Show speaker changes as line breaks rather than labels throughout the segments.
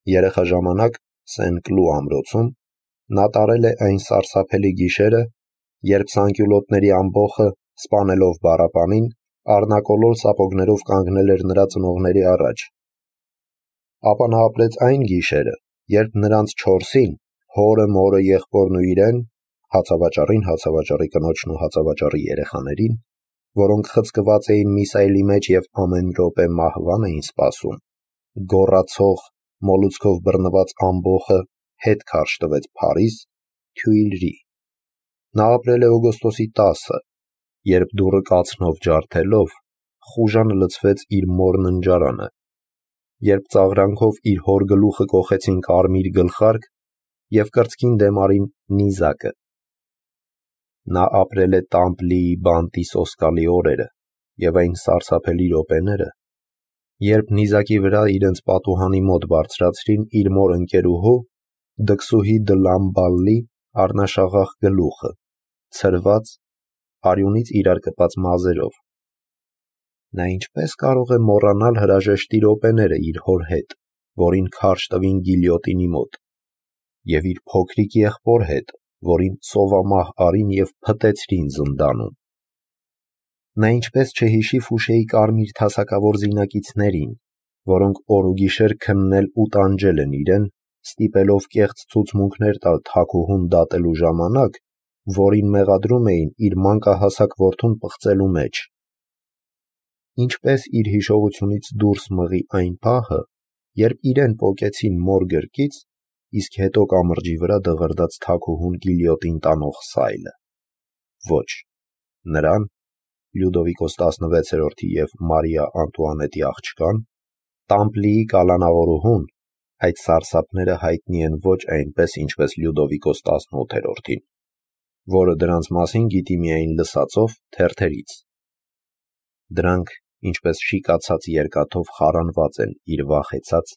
երեխա ժամանակ Սեն-Կլու ամրոցում, նա տարել է այն սարսափելի գիշերը, երբ սանկյուլոտների ամբոխը, սպանելով բառապանին, առնակոլոր սապոգներով կանգնել էր նրա ծնողների առաջ։ Ապա նա ապրեց այն գիշերը, երբ նրանց չորսին, հորը, մորը, եղբորն ու իրեն, հացավաճառին, հացավաճառի կնոջն ու հացավաճառի երեխաներին, որոնք խցկված էին միսայլի մեջ և ամեն րոպե մահվան էին սպասում, գոռացող, մոլուցքով բռնված ամբոխը հետ քարշ տվեց Փարիզ, Թյուիլրի։ Նա ապրել է օգոստոսի 10-ը, երբ դուռը կացնով ջարդելով, խուժանը լցվեց իր մոր ննջարանը, երբ ծաղրանքով իր հոր գլուխը կոխեցին կարմիր գլխարկ և կրծքին դեմ արին նիզակը։ Նա ապրել է Տամպլիի բանտի սոսկալի օրերը և այն սարսափելի րոպեները, երբ նիզակի վրա իրենց պատուհանի մոտ բարձրացրին իր մոր ընկերուհու, դքսուհի դը Լամբալլի առնաշաղախ գլուխը, ցրված, արյունից իրար կպած մազերով։ Նա ինչպես կարող է մոռանալ հրաժեշտի րոպեները իր հոր հետ, որին քարշ տվին գիլյոտինի մոտ, և իր փոքրիկ եղբոր հետ, որին սովամահ արին և փտեցրին զնդանում։ Նա ինչպես չհիշի Ֆուշեի կարմիր թասակավոր զինակիցներին, որոնք օր ու գիշեր քննել ու տանջել են իրեն, ստիպելով կեղծ ցուցմունքներ տալ թագուհուն դատելու ժամանակ, որին մեղադրում էին իր մանկահասակ որդուն պղծելու մեջ։ Ինչպես իր հիշողությունից դուրս մղի այն պահը, երբ իրեն պոկեցին մոր գրկից, իսկ հետո կամրջի վրա դղրդաց թագուհուն գիլյոտին տանող սայլը։ Ոչ, նրան, Լյուդովիկոս 16-րդի և Մարիա Անտուանետի աղջկան, Տամպլիի կալանավորուհուն, այդ սարսափները հայտնի են ոչ այնպես, ինչպես Լյուդովիկոս 18-րդին, որը դրանց մասին գիտի միայն լսածով թերթերից։ Դրանք, ինչպես շիկացած երկաթով խարանված են իր վախեցած,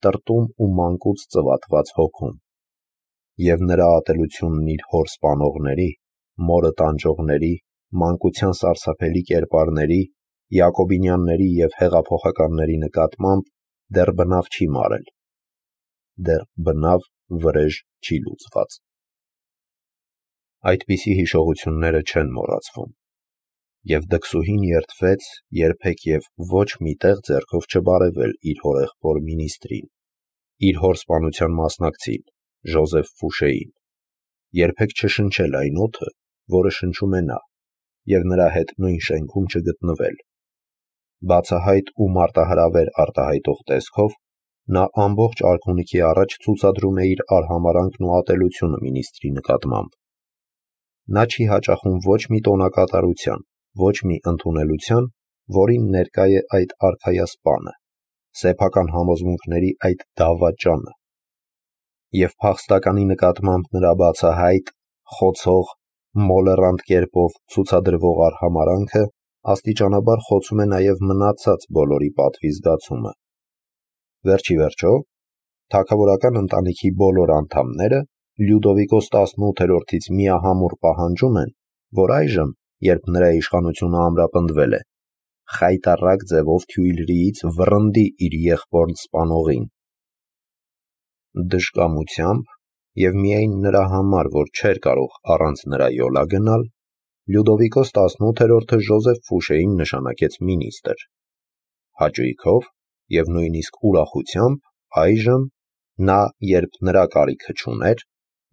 տրտում ու մանկուց ծվատված հոգում, և նրա ատելությունն իր հոր սպանողների, մորը տանջողների, մանկության սարսափելի կերպարների, Յակոբինյանների և հեղափոխականների նկատմամբ դեռ բնավ չի մարել, դեռ բնավ վրեժ չի լուծված։ Այդպիսի հիշողությունները չեն մոռացվում, և դքսուհին երդվեց երբեք և ոչ մի տեղ ձեռքով չբարևել իր հորեղբոր մինիստրին, իր հոր սպանության մասնակցին, Ժոզեֆ Ֆուշեին, երբեք չշնչել այն օդը, որը շնչում է նա, և նրա հետ նույն շենքում չգտնվել։ Բացահայտ ու մարտահրավեր արտահայտող տեսքով, նա ամբողջ արքունիքի առաջ ցուցադրում է իր արհամարհանքն ու ատելությունը մինիստրի նկատմամբ։ Նա չի հաճախում ոչ մի տոնակատարության, ոչ մի ընդունելության, որին ներկա է այդ արքայասպանը, սեփական համոզմունքների այդ դավաճանը, և փախստականի նկատմամբ նրա բացահայտ, խոցող, մոլեռանդ կերպով ցուցադրվող արհամարհանքը աստիճանաբար խոցում է նաև մնացած բոլորի պատվի զգացումը։ Վերջիվերջո, թագավորական ընտանիքի բոլոր անդամները Լյուդովիկոս 18-րդից միահամուռ պահանջում են, որ այժմ, երբ նրա իշխանությունը ամրապնդվել է, խայտառակ ձևով Թյուիլրիից վռնդի իր եղբորն սպանողին։ Դժկամությամբ և միայն նրա համար, որ չէր կարող առանց նրա յոլա գնալ, Լյուդովիկոս 18-րդը Ժոզեֆ Ֆուշեին նշանակեց մինիստր։ Հաճույքով և նույնիսկ ուրախությամբ այժմ նա, երբ նրա կարիքը չուներ,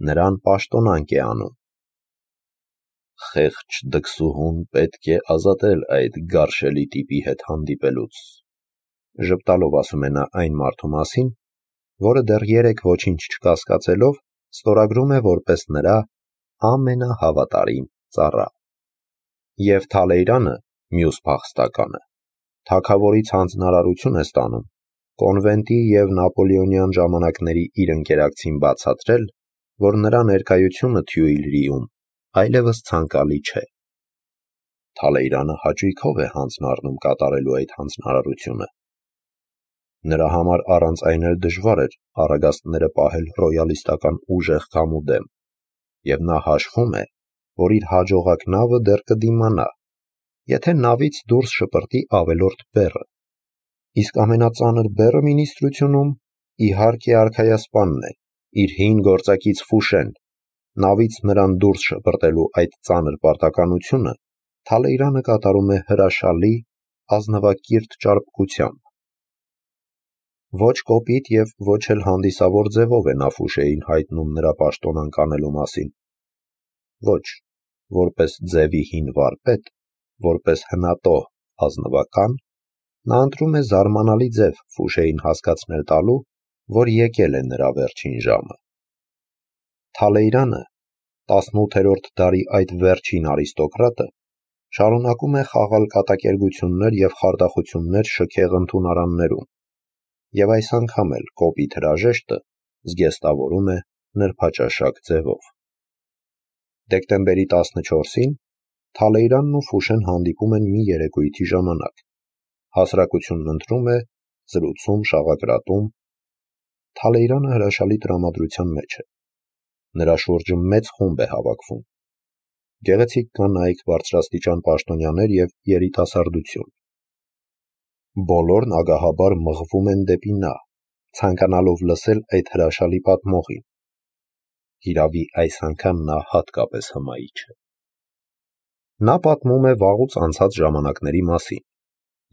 նրան պաշտոնանկ է անում։ Խեղճ դքսուհուն պետք է ազատել այդ գարշելի տիպի հետ հանդիպելուց, ժպտալով ասում է նա այն մարդու մասին, որը դեռ երեկ ոչինչ չկասկածելով, ստորագրում է որպես նրա ամենահավատարիմ ծառա։ Եվ Թալեյրանը, մյուս փախստականը, թագավորից հանձնարարություն է ստանում կոնվենտի և նապոլեոնյան ժամանակների իր ընկերակցին բացատրել, որ նրա ներկայությունը Թյուիլրիում այլևս ցանկալի չէ։ Թալեյրանը հաճույքով է հանձնառնում կատարելու այդ հանձնարարությունը։ Նրա համար առանց այն էլ դժվար էր առագաստները պահել ռոյալիստական ուժեղ քամու դեմ, և նա հաշվում է, որ իր հաջողակ նավը դեռ կդիմանա, եթե նավից դուրս շպրտի ավելորդ բեռը, իսկ ամենածանր բեռը մինիստրությունում իհարկե արքայասպանն է, իր հին գործակից Ֆուշեն, նավից նրան դուրս շպրտելու այդ ծանր պարտականությունը Թալեյրանը կատարում է հրաշալի, ազնվակիրթ ճարպկությամբ։ Ոչ կոպիտ և ոչ էլ հանդիսավոր ձևով է նա Ֆուշեին հայտնում նրա պաշտոնանկ անելու մասին։ Ոչ, որպես ձևի հին վարպետ, որպես հնատող ազնվական, նա ընտրում է զարմանալի ձև Ֆուշեին հասկացնել տալու, որ եկել է նրա վերջին ժամը։ Թալեյրանը, 18-րդ դարի այդ վերջին արիստոկրատը, շարունակում է խաղալ կատակերգություններ և խարդախություններ շքեղ ընդունարաններում, և այս անգամ էլ կոպիտ հրաժեշտը զգեստավորում է նրբաճաշակ ձևով։ Դեկտեմբերի 14-ին Թալեյրանն ու Ֆուշեն հանդիպում են մի երեկույթի ժամանակ։ Հասարակությունն ընտրում է, զրուցում, շաղակրատում։ Թալեյրանը հրաշալի տրամադրության մեջ է։ Նրա շուրջը մեծ խումբ է հավաքվում։ Գեղեցիկ կանայք, բարձրաստիճան պաշտոնյաներ և երիտասարդություն։ Բոլորն ագահաբար մղվում են դեպի նա, ցանկանալով լսել այդ հրաշալի պատմողին։ Հիրավի այս անգամ նա հատկապես հմայիչ է։ Նա պատմում է վաղուց անցած ժամանակների մասին,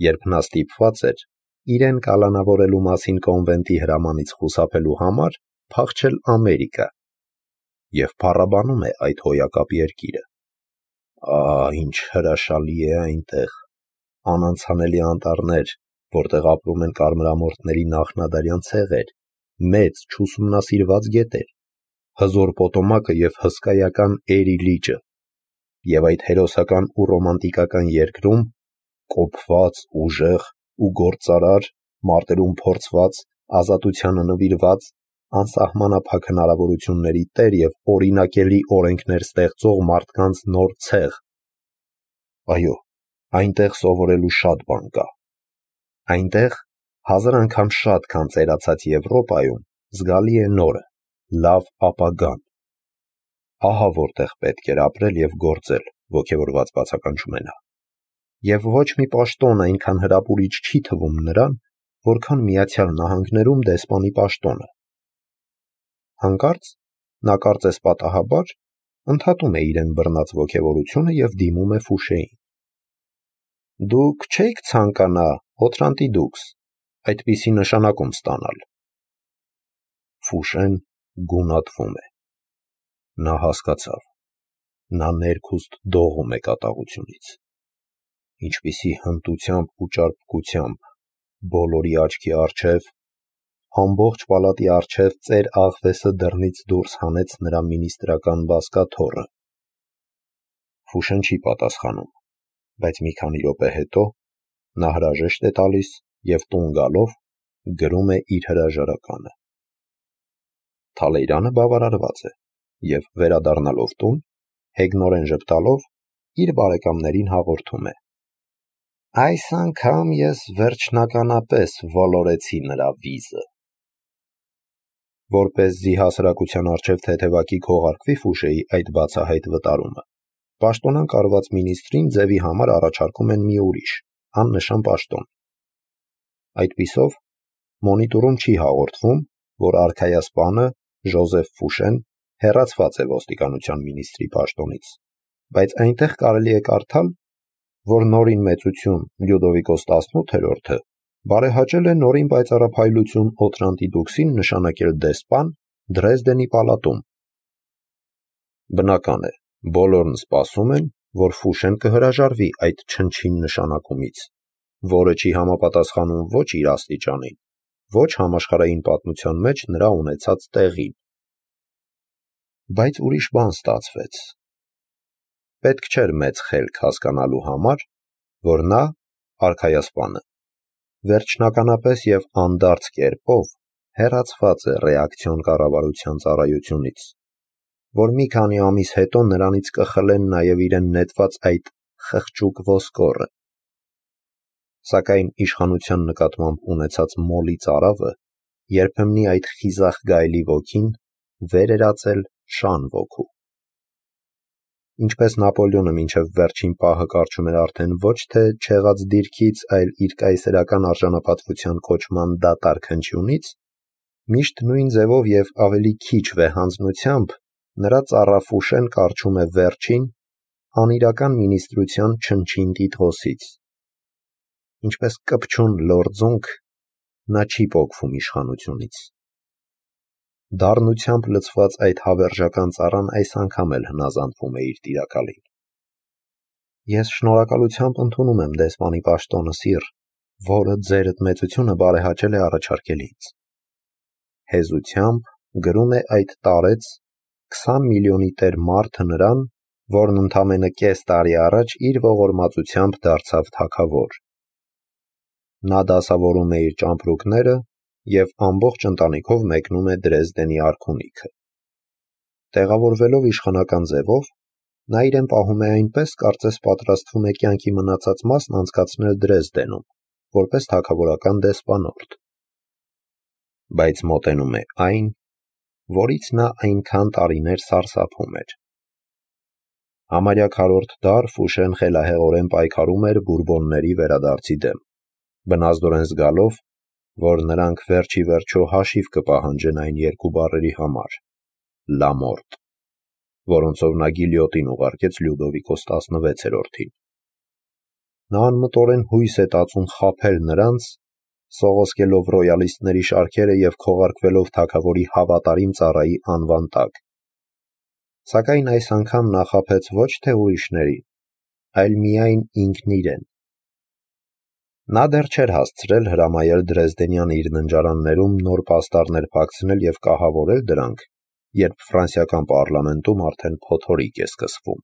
երբ նա ստիպված էր իրեն կալանավորելու մասին կոնվենտի հրամանից խուսափելու համար փախչել Ամերիկա, և փառաբանում է այդ հոյակապ երկիրը։ Ինչ հրաշալի է այնտեղ, անանցանելի անտառներ, որտեղ ապրում են կարմրամորթների նախնադարյան ցեղեր, մեծ չուսումնասիրված գետեր, հզոր պոտոմակը և հսկայական Էրի լիճը, և այդ հերոսական ու ռոմանտիկական երկրում կոփված, ուժեղ ու գործարար, մարտերում փորձված, ազատությանը նվիրված, անսահմանափակ հնարավորությունների տեր և օրինակելի օրենքներ ստեղծող մարդկանց նոր ցեղ։ Այո, այնտեղ սովորելու շատ բան կա։ Այնտեղ 1000 անգամ շատ, քան ծերացած Եվրոպայում, զգալի է նորը, լավ ապագան։ Ահա որտեղ պետք էր ապրել և գործել, ոգևորված բացականչում է նա։ Եվ ոչ մի պաշտոն այնքան հրապուրիչ չի թվում նրան, որքան Միացյալ Նահանգներում դեսպանի պաշտոնը։ Հանկարծ նա կարծես պատահաբար ընդհատում է իրեն բռնած ոգևորությունը և դիմում է Ֆուշեին։ Դուք չէիք ցանկանա, Օթրանտի դուքս, այդպիսի նշանակում ստանալ։ Ֆուշեն գունատվում է։ Նա հասկացավ։ Նա ներքուստ դողում է կատաղությունից։ Ինչպիսի հմտությամբ ու ճարպկությամբ, բոլորի աչքի առջև, ամբողջ պալատի առջև ծեր աղվեսը դռնից դուրս հանեց նրա մինիստրական բազկաթոռը։ Ֆուշեն չի պատասխանում, բայց մի քանի րոպե հետո նա հրաժեշտ է տալիս և տուն գալով գրում է իր հրաժարականը։ Թալեյրանը բավարարված է և, վերադառնալով տուն, հեգնորեն ժպտալով, իր բարեկամներին հաղորդում է. Այս անգամ ես վերջնականապես ոլորեցի նրա վիզը։ Որպեսզի հասարակության առջև թեթևակի քողարկվի Ֆուշեի այդ բացահայտ վտարումը, պաշտոնանկ արված մինիստրին ձևի համար առաջարկում են մի ուրիշ, աննշան պաշտոն։ Այդպիսով, մոնիտորում չի հաղորդվում, որ արքայասպանը Ժոզեֆ Ֆուշեն հեռացված է ոստիկանության մինիստրի պաշտոնից, բայց այնտեղ կարելի է կարդալ, որ նորին մեծություն Լյուդովիկոս 18-րդը բարեհաճել է նորին պայծառափայլություն Օթրանտի դուքսին նշանակել դեսպան Դրեզդենի պալատում։ Բնական է, բոլորն սպասում են, որ Ֆուշեն կհրաժարվի այդ չնչին նշանակումից, որը չի համապատասխանում ոչ իր աստիճանին, ոչ համաշխարհային պատմության մեջ նրա ունեցած տեղին։ Բայց ուրիշ բան ստացվեց։ Պետք չէր մեծ խելք հասկանալու համար, որ նա, արքայասպանը, վերջնականապես և անդարձ կերպով հեռացված է ռեակցիոն կառավարության ծառայությունից, որ մի քանի ամիս հետո նրանից կխլեն նաև իրեն նետված այդ խղճուկ ոսկորը։ Սակայն իշխանության նկատմամբ ունեցած մոլի ծարավը երբեմնի այդ խիզախ գայլի ոգին վեր էր ածել շան ոգու։ Ինչպես Նապոլեոնը մինչև վերջին պահը կարճում էր արդեն ոչ թե չեղած դիրքից, այլ իր կայսերական արժանապատվության կոչման դատարկ հնչյունից, Միշտ նույն ձևով և ավելի քիչ վեհանձնությամբ նրա ծառա Ֆուշեն կառչում է վերջին, անիրական մինիստրության չնչին տիտղոսից։ Ինչպես կպչուն լորձունք, նա չի պոկվում իշխանությունից։ Դառնությամբ լցված այդ հավերժական ծառան այս անգամ էլ հնազանդվում է իր տիրակալին։ Ես շնորհակալությամբ ընդունում եմ դեսպանի պաշտոնը, սիր, որը ձերդ մեծությունը բարեհաճել է առաջարկել ինձ։ Հեզությամբ գրում է այդ տարեց 20 միլիոնի տեր մարդը նրան, որն ընդամենը կես տարի առաջ իր ողորմածությամբ դարձավ թագավոր։ Նա դասավորում է իր ճամպրուկները և ամբողջ ընտանիքով մեկնում է Դրեզդենի արքունիքը։ Տեղավորվելով իշխանական ձևով, նա իրեն պահում է այնպես, կարծես պատրաստվում է կյանքի մնացած մասն անցկացնել Դրեզդենում, որպես թագավորական դեսպանորդ։ Բայց մոտենում է այն, որից նա այնքան տարիներ սարսափում էր։ Համարյա քառորդ դար Ֆուշեն խելահեղորեն պայքարում էր բուրբոնների վերադարձի դեմ, բնազդորեն զգալով, որ նրանք վերջ ի վերջո հաշիվ կպահանջեն այն երկու բառերի համար՝ «լա մորտ», որոնցով նա գիլյոտին ուղարկեց Լյուդովիկոս 16-րդին։ Նա անմտորեն հույս է տածում խաբել նրանց, սողոսկելով ռոյալիստների շարքերը և քողարկվելով թագավորի հավատարիմ ծառայի անվան տակ։ Սակայն այս անգամ նա խաբեց ոչ թե ուրիշներին, այլ միայն ինքն իրեն։ Նա դեռ չէր հասցրել հրամայել Դրեզդենյան իր ննջարաններում նոր պաստառներ փակցնել և կահավորել դրանք, երբ ֆրանսիական պառլամենտում արդեն փոթորիկ է սկսվում։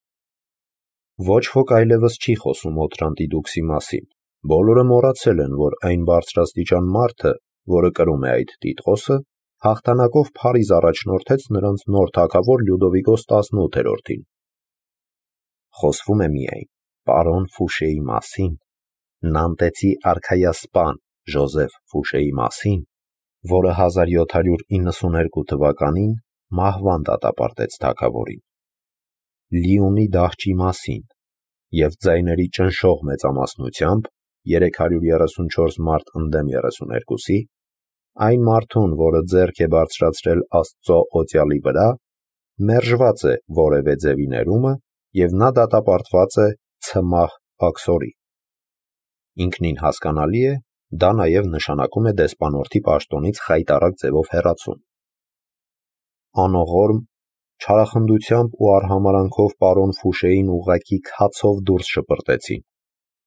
Ոչ ոք այլևս չի խոսում Օթրանտի դուքսի մասին, բոլորը մոռացել են, որ այն բարձրաստիճան մարդը, որը կրում է այդ տիտղոսը, հաղթանակով Փարիզ առաջնորդեց նրանց նոր թագավոր Լյուդովիկոս 18-րդին։ Խոսվում է միայն պարոն Ֆուշեի մասին, նանտեցի արքայասպան Ժոզեֆ Ֆուշեի մասին, որը 1792 թվականին մահվան դատապարտեց թագավորին, Լիոնի դահճի մասին և ձայների ճնշող մեծամասնությամբ 334 մարտ ընդդեմ 32-ի, այն մարդուն, որը ձեռք է բարձրացրել Աստծո օծյալի վրա, մերժված է որևէ ձևի ներումը և նա դատապարտված է ցմահ աքսորի։ Ինքնին հասկանալի է, դա նաև նշանակում է դեսպանորդի պաշտոնից խայտառակ ձևով հեռացում։ Անողորմ, չարախնդությամբ ու արհամարհանքով պարոն Ֆուշեին ուղղակի քացով դուրս շպրտեցին։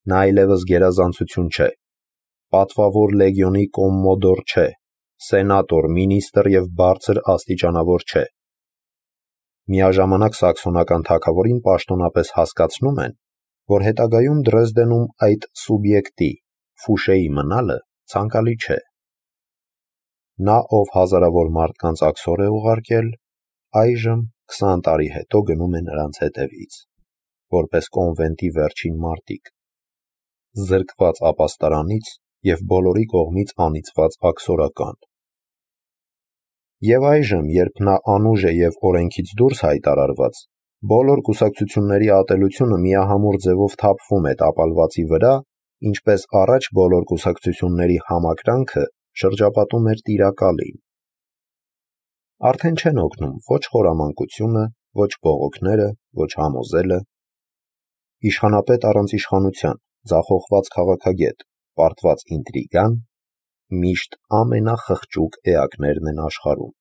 Նա այլևս գերազանցություն չէ, պատվավոր լեգիոնի կոմմոդոր չէ, սենատոր, մինիստր և բարձր աստիճանավոր չէ։ Միաժամանակ սաքսոնական թագավորին պաշտոնապես հասկացնում են, որ հետագայում Դրեզդենում այդ սուբյեկտի՝ Ֆուշեի մնալը ցանկալի չէ։ Նա, ով հազարավոր մարդկանց աքսոր է ուղարկել, այժմ 20 տարի հետո գնում է նրանց հետևից, որպես կոնվենտի վերջին մարտիկ, զրկված ապաստարանից և բոլորի կողմից անիծված աքսորական։ Եվ այժմ, երբ նա անուժ է և օրենքից դուրս հայտարարված, բոլոր կուսակցությունների ատելությունը միահամուռ ձևով թափվում է տապալվածի վրա, ինչպես առաջ բոլոր կուսակցությունների համակրանքը շրջապատում էր տիրակալին։ Արդեն չեն օգնում ոչ խորամանկությունը, ոչ բողոքները, ոչ համոզելը։ Իշխանապետ առանց իշխանության, ձախողված քաղաքագետ, պարտված ինտրիգան միշտ ամենախղճուկ էակներն են աշխարհում։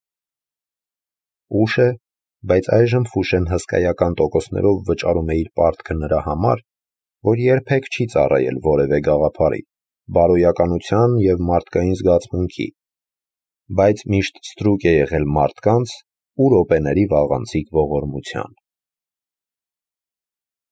Ուշ է, բայց այժմ Ֆուշեն հսկայական տոկոսներով վճարում է իր պարտքը նրա համար, որ երբեք չի ծառայել որևէ գաղափարի, բարոյականության և մարդկային զգացմունքի, բայց միշտ ստրուկ է եղել մարդկանց ու րոպեների վաղանցիկ ողորմության։